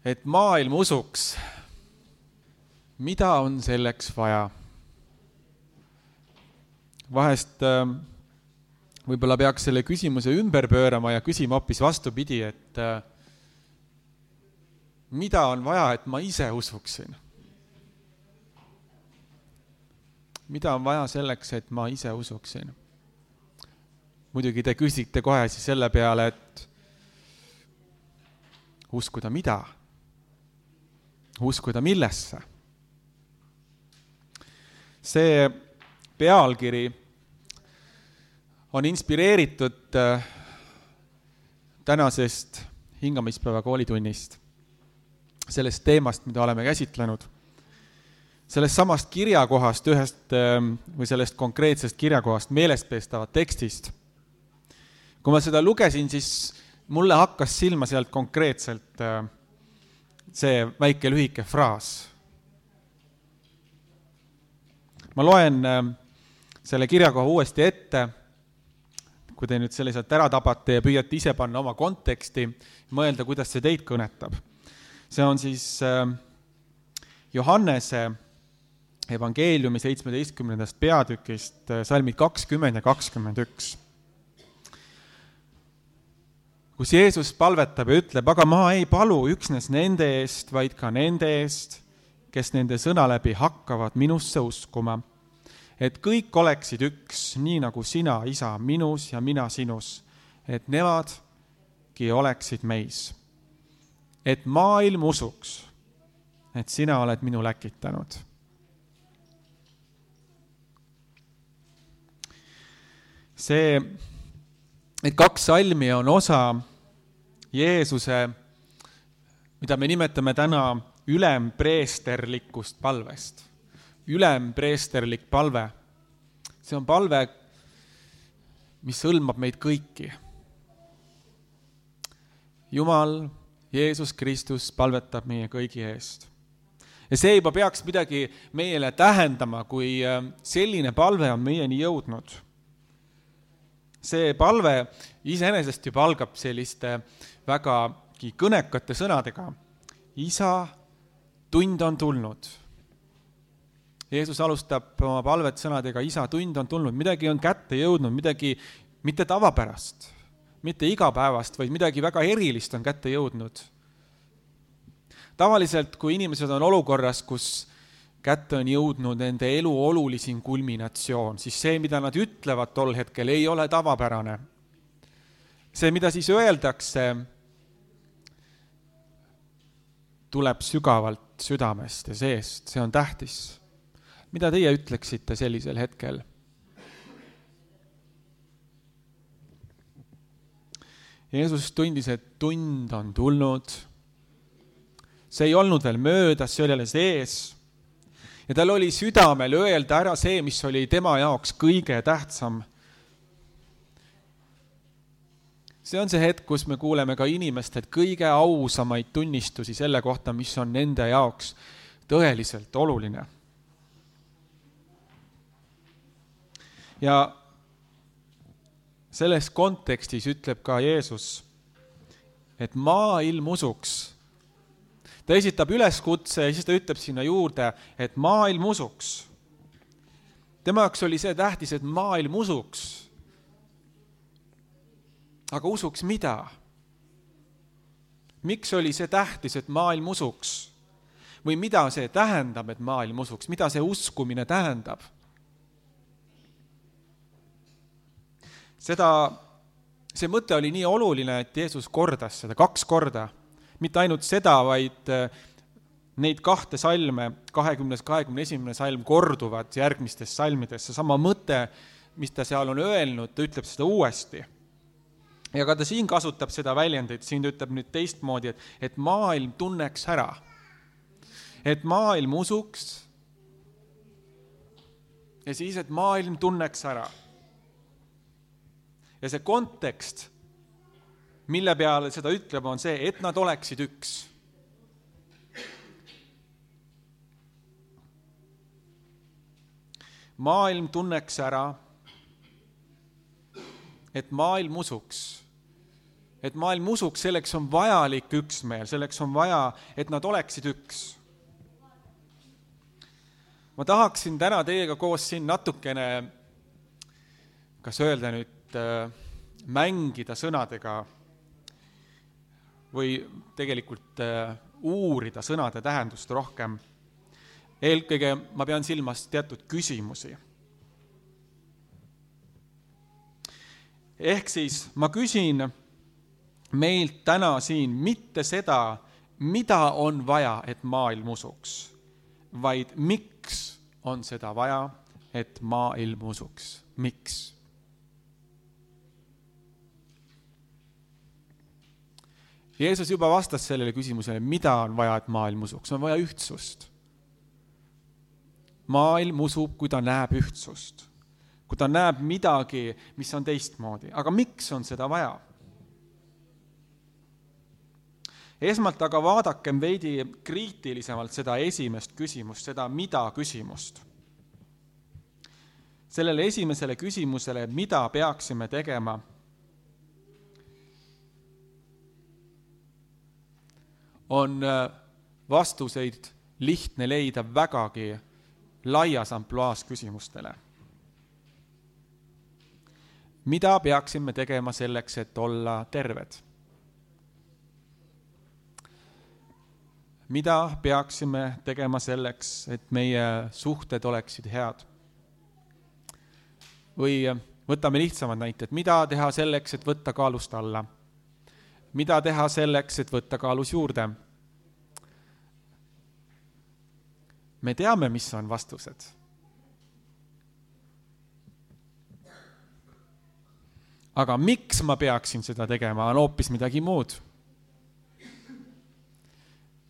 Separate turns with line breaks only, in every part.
et maailm usuks. Mida on selleks vaja? Vahest võib-olla peaks selle küsimuse ümber pöörama ja küsima hoopis vastupidi, et mida on vaja, et ma ise usuksin? Mida on vaja selleks, et ma ise usuksin? Muidugi te küsite kohe siis selle peale, et uskuda mida? Uskuda millesse? See pealkiri on inspireeritud tänasest hingamispäeva koolitunnist, sellest teemast, mida oleme käsitlenud, sellest samast kirjakohast või sellest konkreetsest kirjakohast meelestpeestavat tekstist. Kui ma seda lugesin, siis mulle hakkas silma sealt konkreetselt see väike lühike fraas. Ma loen selle kirjakoha uuesti ette, kui te nüüd selle sealt ära tabate ja püüate ise panna oma konteksti, mõelda, kuidas see teid kõnetab. See on siis Johannese evangeeliumi 17. peatükist salmid 20 ja 21. Kus Jeesus palvetab ja ütleb, aga ma ei palu üksnes nende eest, vaid ka nende eest, kes nende sõna läbi hakkavad minusse uskuma, et kõik oleksid üks, nii nagu sina, isa, minus ja mina sinus, et nemadki oleksid meis. Et maailm usuks, et sina oled minu läkitanud. See, et 2 salmi on osa Jeesuse, mida me nimetame täna ülempreesterlikust palvest. Ülempreesterlik palve. See on palve, mis hõlmab meid kõiki. Jumal, Jeesus Kristus palvetab meie kõigi eest. Ja see juba peaks midagi meile tähendama, kui selline palve on meieni jõudnud. See palve iseenesest juba algab selliste vägagi kõnekate sõnadega. Isa, tund on tulnud. Jeesus alustab oma palvet sõnadega, isa, tund on tulnud. Midagi on kätte jõudnud, midagi mitte tavapärast, mitte igapäevast, vaid midagi väga erilist on kätte jõudnud. Tavaliselt, kui inimesed on olukorras, kus kätte on jõudnud nende elu olulisim kulminatsioon, siis see, mida nad ütlevad tol hetkel, ei ole tavapärane. See, mida siis öeldakse, tuleb sügavalt südamest ja seest, see on tähtis. Mida teie ütleksite sellisel hetkel? Jeesus tundis, et tund on tulnud. See ei olnud veel möödas, see oli jälle sees. Ja tal oli südamel öelda ära see, mis oli tema jaoks kõige tähtsam. See on see hetk, kus me kuuleme ka inimestelt kõige ausamaid tunnistusi selle kohta, mis on nende jaoks tõeliselt oluline. Ja selles kontekstis ütleb ka Jeesus, et maailm usuks. Ta esitab üleskutse ja siis ta ütleb sinna juurde, et maailm usuks. Tema jaoks oli see tähtis, et maailm usuks. Aga usuks mida? Miks oli see tähtis, et maailm usuks? Või mida see tähendab, et maailm usuks? Mida see uskumine tähendab? See mõte oli nii oluline, et Jeesus kordas seda 2 korda. Mitte ainult seda, vaid neid 2 salme, 20. 21. salm korduvad järgmistes salmides. See sama mõte, mis ta seal on öelnud, ta ütleb seda uuesti. Ja ka ta siin kasutab seda väljendit, siin ta ütleb nüüd teistmoodi, et maailm tunneks ära. Et maailm usuks ja siis, et maailm tunneks ära. Ja see kontekst, mille peale seda ütleb, on see, et nad oleksid üks. Maailm tunneks ära, et maailm usuks et maailm usuks, selleks on vajalik üksmeel, selleks on vaja, et nad oleksid üks. Ma tahaksin täna teiega koos siin natukene, kas öelda nüüd, mängida sõnadega või tegelikult uurida sõnade tähendust rohkem. Eelkõige ma pean silmas teatud küsimusi. Ehk siis ma küsin meilt täna siin mitte seda, mida on vaja, et maailm usuks, vaid miks on seda vaja, et maailm usuks. Miks? Jeesus juba vastas sellele küsimusele, mida on vaja, et maailm usuks. On vaja ühtsust. Maailm usub, kui ta näeb ühtsust. Kui ta näeb midagi, mis on teistmoodi. Aga miks on seda vaja? Esmalt aga vaadakem veidi kriitilisemalt seda esimest küsimust, seda mida küsimust. Sellele esimesele küsimusele, mida peaksime tegema, on vastuseid lihtne leida vägagi laias ampluaas küsimustele. Mida peaksime tegema selleks, et olla terved? Mida peaksime tegema selleks, et meie suhted oleksid head? Või võtame lihtsamad näited. Mida teha selleks, et võtta kaalust alla? Mida teha selleks, et võtta kaalus juurde? Me teame, mis on vastused. Aga miks ma peaksin seda tegema, on hoopis midagi muud.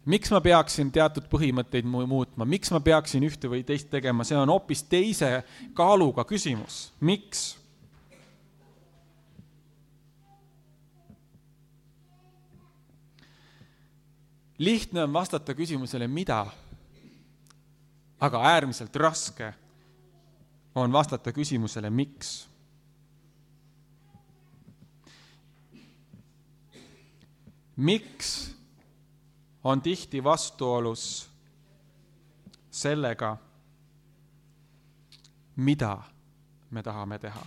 Miks ma peaksin teatud põhimõtteid muutma? Miks ma peaksin ühte või teist tegema? See on hoopis teise kaaluga küsimus. Miks? Lihtne on vastata küsimusele mida, aga äärmiselt raske on vastata küsimusele miks. Miks on tihti vastuolus sellega, mida me tahame teha.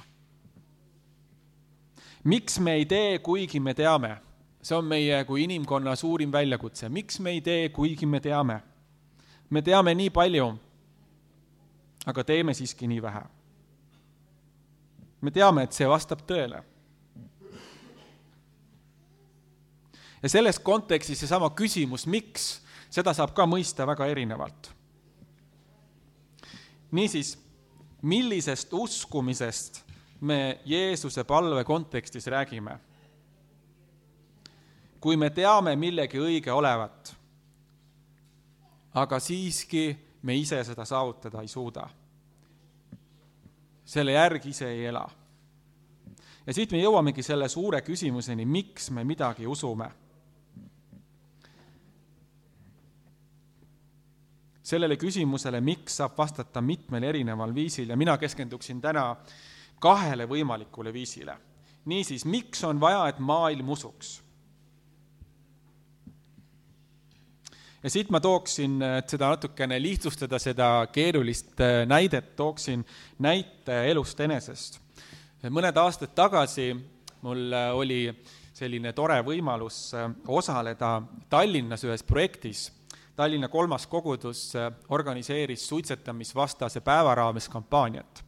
Miks me ei tee, kuigi me teame? See on meie kui inimkonna suurim väljakutse. Miks me ei tee, kuigi me teame? Me teame nii palju, aga teeme siiski nii vähe. Me teame, et see vastab tõele. Ja selles kontekstis seesama küsimus, miks, seda saab ka mõista väga erinevalt. Niisiis, millisest uskumisest me Jeesuse palve kontekstis räägime? Kui me teame millegi õige olevat, aga siiski me ise seda saavutada ei suuda. Selle järgi ise ei ela. Ja siit me jõuamegi selle suure küsimuseni, miks me midagi usume. Sellele küsimusele, miks saab vastata mitmel erineval viisil ja mina keskenduksin täna 2 võimalikule viisile. Niisiis, miks on vaja, et maailm usuks? Ja siit ma tooksin, et seda natukene lihtsustada, seda keerulist näidet, tooksin näite elust enesest. Mõned aastad tagasi mul oli selline tore võimalus osaleda Tallinnas ühes projektis. Tallinna 3. kogudus organiseeris suitsetamisvastase päeva raames kampaaniat.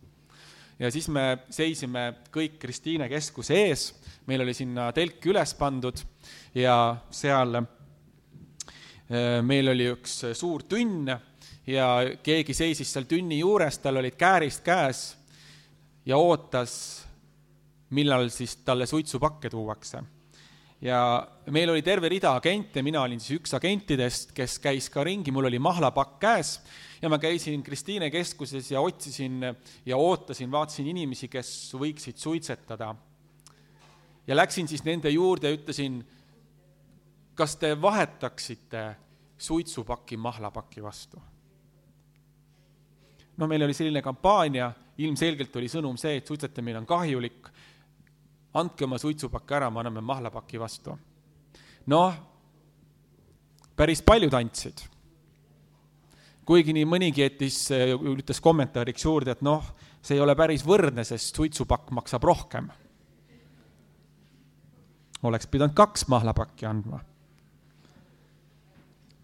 Ja siis me seisime kõik Kristiine keskuse ees, meil oli sinna telk üles pandud ja seal meil oli üks suur tünn ja keegi seisis seal tünni juures, tal olid käärist käes ja ootas, millal siis talle suitsupakke tuuakse. Ja meil oli terve rida agente, mina olin siis üks agentidest, kes käis ka ringi, mul oli mahlapakk käes ja ma käisin Kristiine keskuses ja otsisin ja ootasin, vaatasin inimesi, kes võiksid suitsetada. Ja läksin siis nende juurde ja ütlesin, kas te vahetaksite suitsupaki mahlapaki vastu? No meil oli selline kampaania, ilmselgelt oli sõnum see, et suitsetamine on kahjulik. andke oma suitsupakk ära, me anname mahlapaki vastu. Noh, päris paljud andsid. Kuigi nii mõnigi ütles kommentaariks juurde, et noh, see ei ole päris võrdne, sest suitsupakk maksab rohkem. Oleks pidanud 2 mahlapakki andma.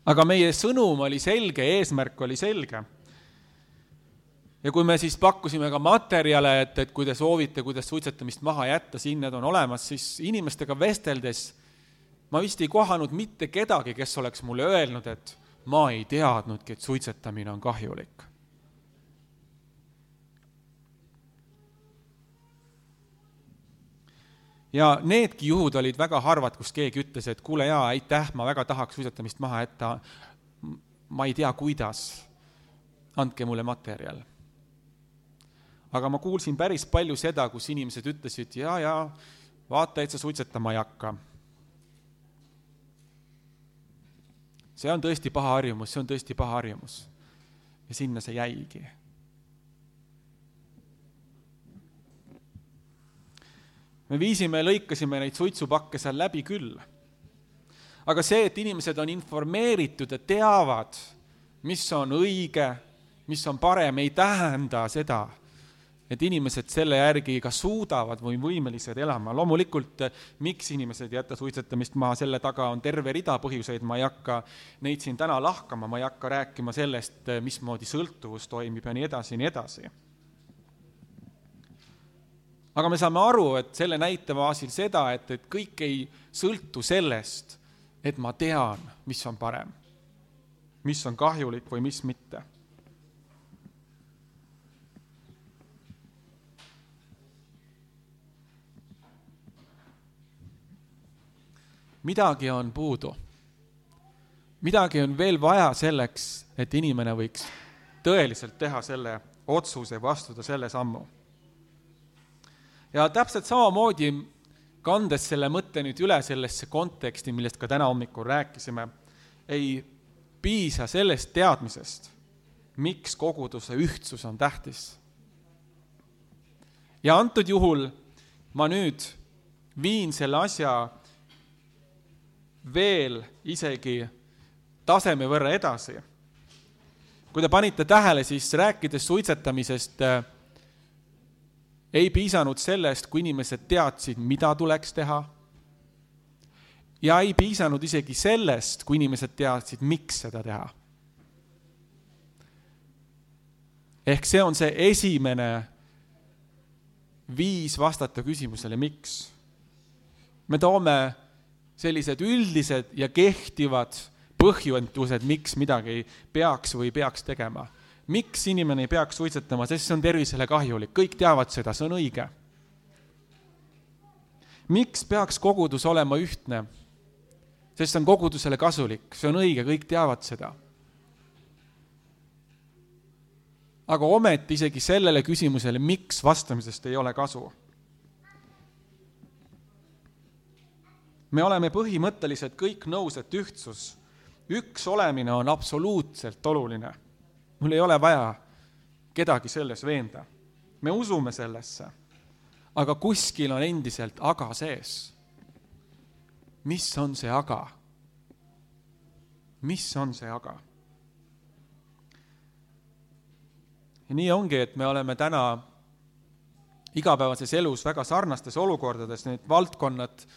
Aga meie sõnum oli selge, eesmärk oli selge. Ja kui me siis pakkusime ka materjale, et kui te soovite, kuidas suitsetamist maha jätta, siin need on olemas, siis inimestega vesteldes ma vist ei kohanud mitte kedagi, kes oleks mulle öelnud, et ma ei teadnudki, et suitsetamine on kahjulik. Ja needki juhud olid väga harvad, kus keegi ütles, et kuule jaa, aitäh, ma väga tahaks suitsetamist maha jätta, ma ei tea, kuidas, andke mulle materjal. Aga ma kuulsin päris palju seda, kus inimesed ütlesid, ja, vaata, et sa suitsetama ei hakka. See on tõesti paha harjumus, Ja sinna see jäigi. Me lõikasime neid suitsupakke seal läbi küll. Aga see, et inimesed on informeeritud ja teavad, mis on õige, mis on parem, ei tähenda seda, et inimesed selle järgi ka suudavad või võimelised elama. Loomulikult, miks inimesed jätta suitsetamist maha, selle taga on terve rida põhjuseid, ma ei hakka neid siin täna lahkama, ma ei hakka rääkima sellest, mismoodi sõltuvus toimib ja nii edasi. Aga me saame aru, et selle näite baasil seda, et kõik ei sõltu sellest, et ma tean, mis on parem, mis on kahjulik või mis mitte. Midagi on puudu. Midagi on veel vaja selleks, et inimene võiks tõeliselt teha selle otsuse, vastuda selle sammu. Ja täpselt samamoodi, kandes selle mõtte nüüd üle sellesse konteksti, millest ka täna hommikul rääkisime, ei piisa sellest teadmisest, miks koguduse ühtsus on tähtis. Ja antud juhul ma nüüd viin selle asja veel isegi taseme võrra edasi. Kui te panite tähele, siis rääkides suitsetamisest ei piisanud sellest, kui inimesed teadsid, mida tuleks teha. Ja ei piisanud isegi sellest, kui inimesed teadsid, miks seda teha. Ehk see on see esimene viis vastata küsimusele, miks. Me toome sellised üldised ja kehtivad põhjendused, miks midagi peaks või peaks tegema. Miks inimene ei peaks suitsetama, sest see on tervisele kahjulik. Kõik teavad seda, see on õige. Miks peaks kogudus olema ühtne? Sest see on kogudusele kasulik, see on õige, kõik teavad seda. Aga ometi isegi sellele küsimusele, miks vastamisest ei ole kasu. Me oleme põhimõtteliselt kõik nõus, et üks olemine on absoluutselt oluline. Mul ei ole vaja kedagi selles veenda. Me usume sellesse, aga kuskil on endiselt aga sees. Mis on see aga? Mis on see aga? Ja nii ongi, et me oleme täna igapäevases elus väga sarnastes olukordades, need valdkonnad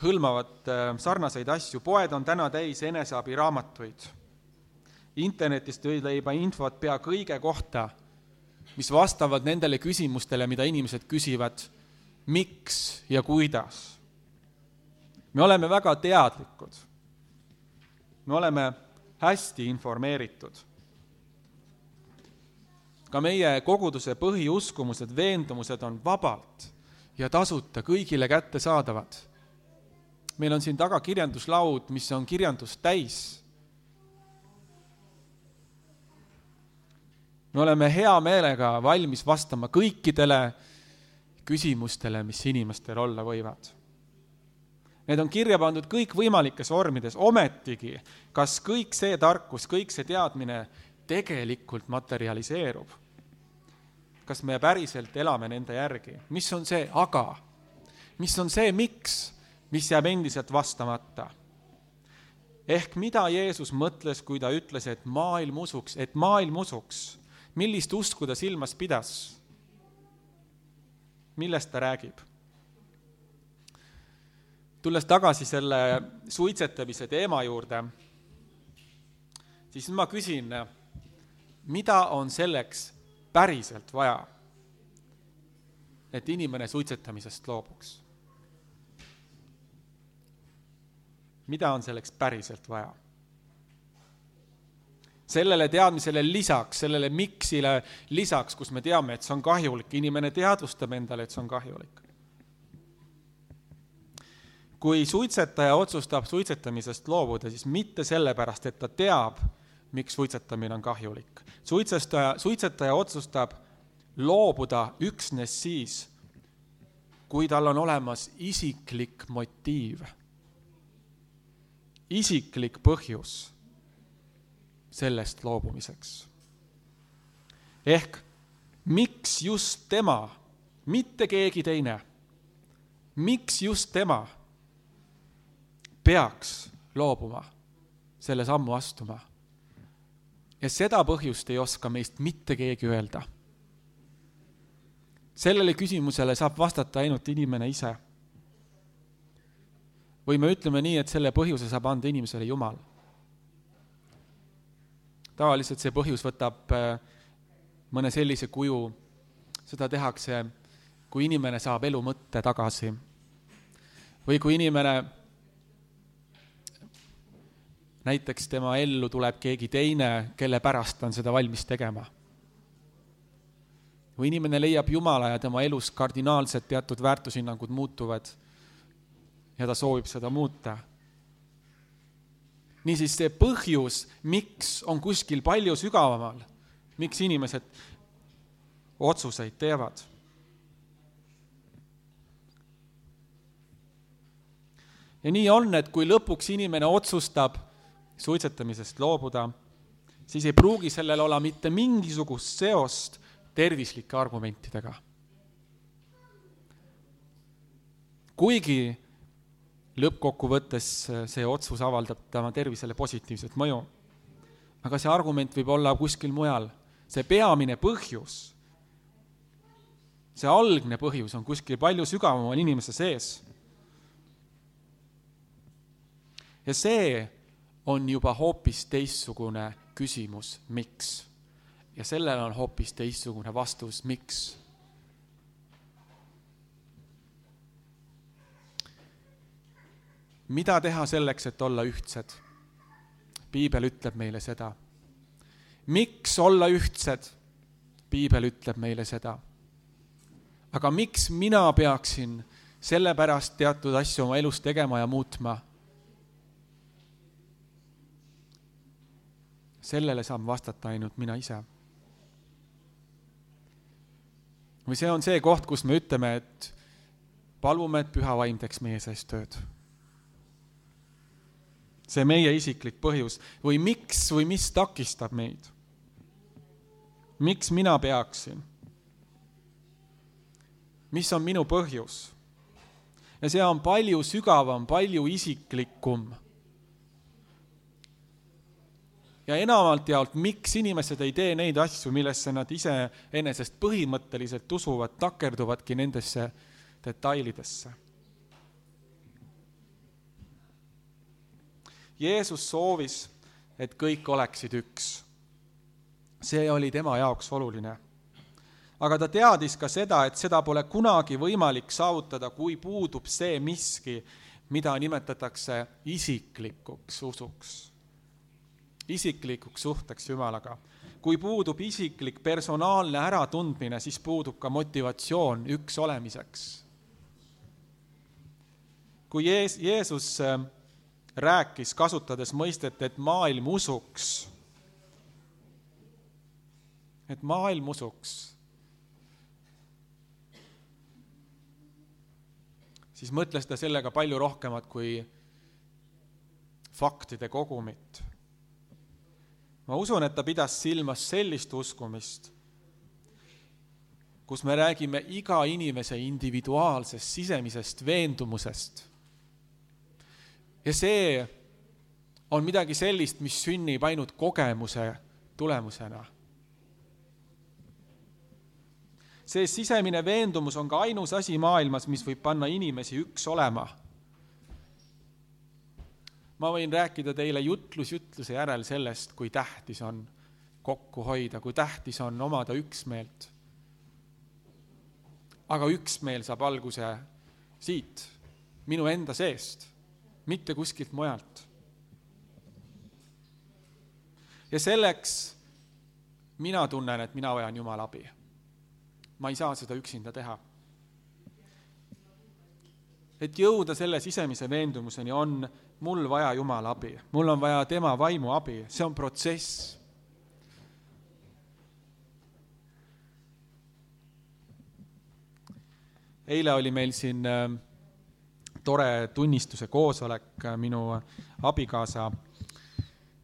hõlmavad sarnaseid asju. Poed on täna täis eneseabiraamatuid. Internetist leiba infot pea kõige kohta, mis vastavad nendele küsimustele, mida inimesed küsivad, miks ja kuidas. Me oleme väga teadlikud. Me oleme hästi informeeritud. Ka meie koguduse põhiuskumused, veendumused on vabalt ja tasuta kõigile kättesaadavad. Meil on siin taga kirjanduslaud, mis on kirjandust täis. Me oleme hea meelega valmis vastama kõikidele küsimustele, mis inimestel olla võivad. Need on kirja pandud kõik võimalikes vormides, ometigi, kas kõik see tarkus, kõik see teadmine tegelikult materialiseerub. Kas me päriselt elame nende järgi? Mis on see aga? mis on see miks, mis jääb endiselt vastamata. Ehk mida Jeesus mõtles, kui ta ütles, et maailm usuks, millist usku ta silmas pidas? Millest ta räägib? Tulles tagasi selle suitsetamise teema juurde, siis ma küsin, mida on selleks päriselt vaja, et inimene suitsetamisest loobuks? Mida on selleks päriselt vaja? Sellele teadmisele lisaks, sellele miksile lisaks, kus me teame, et see on kahjulik, inimene teadvustab endale, et see on kahjulik. Kui suitsetaja otsustab suitsetamisest loobuda, siis mitte sellepärast, et ta teab, miks suitsetamine on kahjulik. Suitsetaja otsustab loobuda üksnes siis, kui tal on olemas isiklik motiiv, isiklik põhjus sellest loobumiseks. Ehk miks just tema, mitte keegi teine, miks just tema peaks loobuma, selle sammu astuma. Ja seda põhjust ei oska meist mitte keegi öelda. Sellele küsimusele saab vastata ainult inimene ise. Või me ütleme nii, et selle põhjuse saab anda inimesele Jumal. Tavaliselt see põhjus võtab mõne sellise kuju, seda tehakse, kui inimene saab elu mõtte tagasi. Või kui inimene näiteks tema ellu tuleb keegi teine, kelle pärast on seda valmis tegema. Või inimene leiab Jumala ja tema elus kardinaalselt teatud väärtushinnangud muutuvad ja ta soovib seda muuta. Niisiis see põhjus, miks on kuskil palju sügavamal, miks inimesed otsuseid teevad. Ja nii on, et kui lõpuks inimene otsustab suitsetamisest loobuda, siis ei pruugi sellel olla mitte mingisugust seost tervislike argumentidega. Kuigi lõppkokkuvõttes see otsus avaldab tema tervisele positiivset mõju, aga see argument võib olla kuskil mujal. See peamine põhjus, see algne põhjus on kuskil palju sügavamal inimese sees. Ja see on juba hoopis teistsugune küsimus, miks. Ja sellel on hoopis teistsugune vastus, miks. Mida teha selleks, et olla ühtsed? Piibel ütleb meile seda. Miks olla ühtsed? Piibel ütleb meile seda. Aga miks mina peaksin sellepärast teatud asju oma elus tegema ja muutma? Sellele saan vastata ainult mina ise. Või see on see koht, kus me ütleme, et palume, et Püha Vaim teeks meie sees tööd. See meie isiklik põhjus. Või miks või mis takistab meid? Miks mina peaksin? Mis on minu põhjus? Ja see on palju sügavam, palju isiklikum. Ja enamalt jaolt, miks inimesed ei tee neid asju, millesse nad ise enesest põhimõtteliselt usuvad, takerduvadki nendesse detailidesse. Jeesus soovis, et kõik oleksid üks. See oli tema jaoks oluline. Aga ta teadis ka seda, et seda pole kunagi võimalik saavutada, kui puudub see miski, mida nimetatakse isiklikuks usuks. Isiklikuks suhteks Jumalaga. Kui puudub isiklik personaalne äratundmine, siis puudub ka motivatsioon üks olemiseks. Kui Jeesus rääkis, kasutades mõistet, et maailm usuks, siis mõtles ta sellega palju rohkemat kui faktide kogumit. Ma usun, et ta pidas silmas sellist uskumist, kus me räägime iga inimese individuaalsest sisemisest veendumusest. Ja see on midagi sellist, mis sünnib ainult kogemuse tulemusena. See sisemine veendumus on ka ainus asi maailmas, mis võib panna inimesi üks olema. Ma võin rääkida teile jutluse järel sellest, kui tähtis on kokku hoida, kui tähtis on omada üksmeelt. Aga üksmeel saab alguse siit, minu enda seest, mitte kuskilt mujalt. Ja selleks mina tunnen, et mina vajan Jumala abi. Ma ei saa seda üksinda teha. Et jõuda selle sisemise veendumuseni on mul vaja Jumala abi. Mul on vaja tema vaimu abi. See on protsess. Eile oli meil siin tore tunnistuse koosolek, minu abikaasa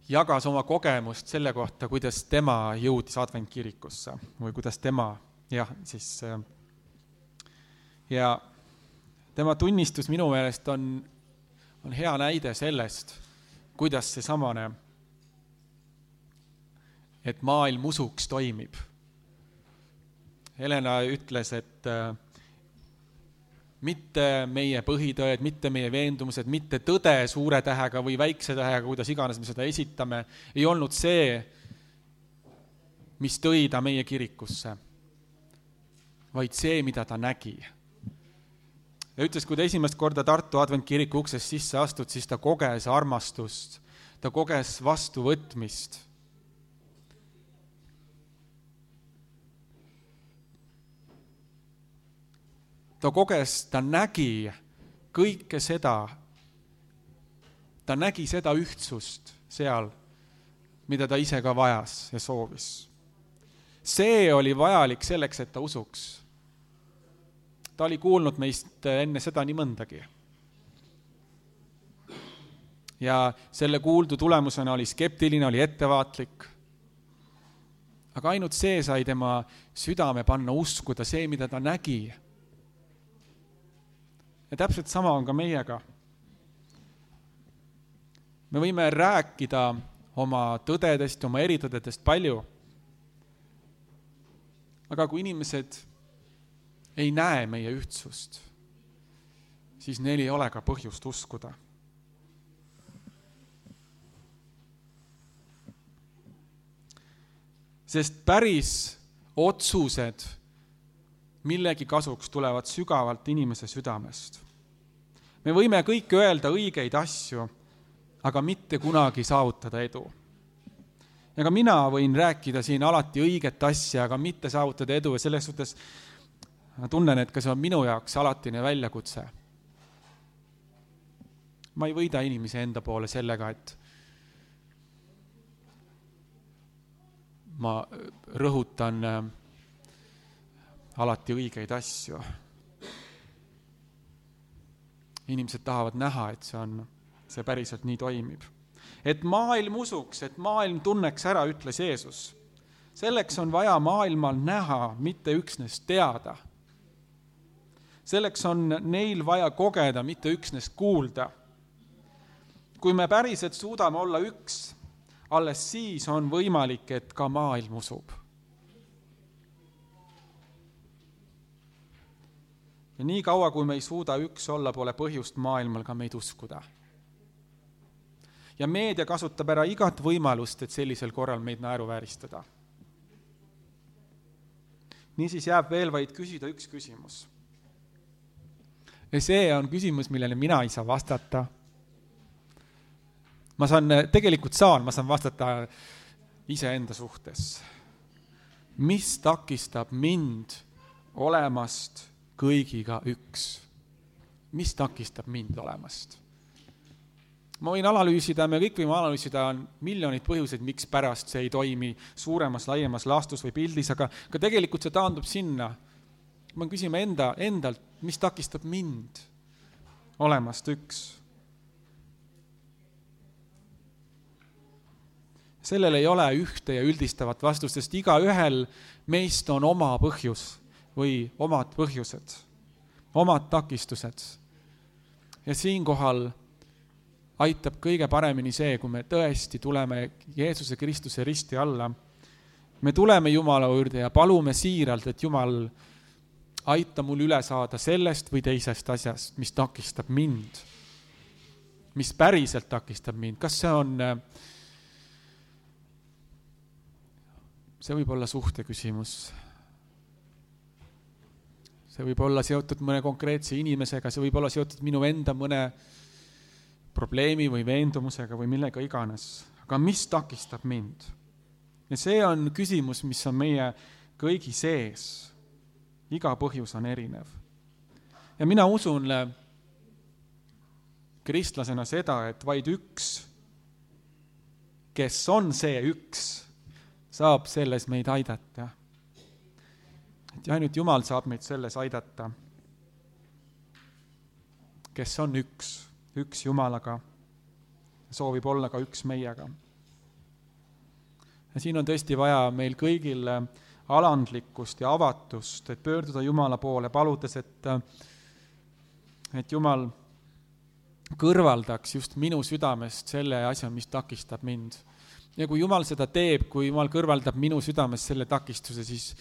jagas oma kogemust selle kohta, kuidas tema jõudis adventkirikusse või kuidas tema, ja tema tunnistus minu meelest on hea näide sellest, kuidas see samane, et maailm usuks toimib. Helena ütles, et mitte meie põhitõed, mitte meie veendumused, mitte tõde suure tähega või väikse tähega, kuidas iganes me seda esitame, ei olnud see, mis tõi ta meie kirikusse, vaid see, mida ta nägi. Ja ütles, kui ta esimest korda Tartu adventkiriku uksest sisse astud, siis ta koges armastust, ta koges vastuvõtmist. Ta koges, ta nägi kõike seda, ta nägi seda ühtsust seal, mida ta ise ka vajas ja soovis. See oli vajalik selleks, et ta usuks. Ta oli kuulnud meist enne seda nii mõndagi. Ja selle kuuldu tulemusena oli skeptiline, oli ettevaatlik. Aga ainult see sai tema südame panna uskuda, see, mida ta nägi. Ja täpselt sama on ka meiega. Me võime rääkida oma tõdedest, oma eritõdedest palju. Aga kui inimesed ei näe meie ühtsust, siis neil ei ole ka põhjust uskuda. Sest päris otsused millegi kasuks tulevad sügavalt inimese südamest. Me võime kõik öelda õigeid asju, aga mitte kunagi saavutada edu. Ja ka mina võin rääkida siin alati õiget asja, aga mitte saavutada edu ja selles suhtes ma tunnen, et ka see on minu jaoks alatine väljakutse. Ma ei võida inimese enda poole sellega, et ma rõhutan alati õigeid asju. Inimesed tahavad näha, et see päriselt nii toimib. Et maailm usuks, et maailm tunneks ära, ütles Jeesus. Selleks on vaja maailmal näha, mitte üksnes teada. Selleks on neil vaja kogeda, mitte üksnes kuulda. Kui me päriselt suudame olla üks, alles siis on võimalik, et ka maailm usub. Ja nii kaua, kui me ei suuda üks olla, pole põhjust maailmal ka meid uskuda. Ja meedia kasutab ära igat võimalust, et sellisel korral meid naeruvääristada. Niisiis jääb veel vaid küsida üks küsimus. Ja see on küsimus, millele mina ei saa vastata. Ma saan vastata iseenda suhtes. Mis takistab mind olemast kõigiga üks? Mis takistab mind olemast? Ma võin analüüsida, me kõik võime analüüsida miljonid põhjuseid, miks pärast see ei toimi suuremas, laiemas laastus või pildis, aga tegelikult see taandub sinna. Ma küsime endalt, mis takistab mind olemast üks? Sellel ei ole ühte ja üldistavat vastust, sest igaühel meist on oma põhjus, või omad põhjused, omad takistused. Ja siinkohal aitab kõige paremini see, kui me tõesti tuleme Jeesuse Kristuse risti alla. Me tuleme Jumala juurde ja palume siiralt, et Jumal aita mul üle saada sellest või teisest asjast, mis takistab mind. Mis päriselt takistab mind. Kas see võib olla suhte küsimus. See võib olla seotud mõne konkreetse inimesega, see võib olla seotud minu enda mõne probleemi või veendumusega või millega iganes. Aga mis takistab mind? Ja see on küsimus, mis on meie kõigi sees. Iga põhjus on erinev. Ja mina usun kristlasena seda, et vaid üks, kes on see üks, saab selles meid aidata. Et ainult Jumal saab meid selles aidata, kes on üks Jumalaga, soovib olla ka üks meiega. Ja siin on tõesti vaja meil kõigil alandlikkust ja avatust, et pöörduda Jumala poole, paludes, et Jumal kõrvaldaks just minu südamest selle asja, mis takistab mind. Ja kui Jumal seda teeb, kui Jumal kõrvaldab minu südamest selle takistuse, siis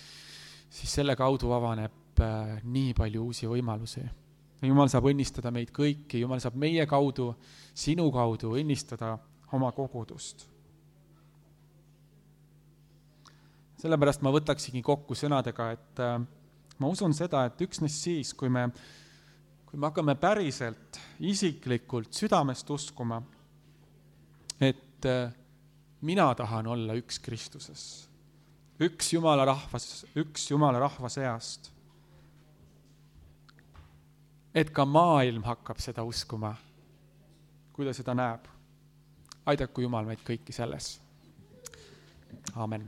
selle kaudu avaneb nii palju uusi võimalusi. Ja Jumal saab õnnistada meid kõiki, Jumal saab meie kaudu, sinu kaudu õnnistada oma kogudust. Sellepärast ma võtaksigi kokku sõnadega, et ma usun seda, et üksnes siis, kui me hakkame päriselt, isiklikult südamest uskuma, et mina tahan olla üks Kristuses, üks Jumala rahva seast, et ka maailm hakkab seda uskuma, kui ta seda näeb. Aidaku Jumal meid kõiki selles. Amen.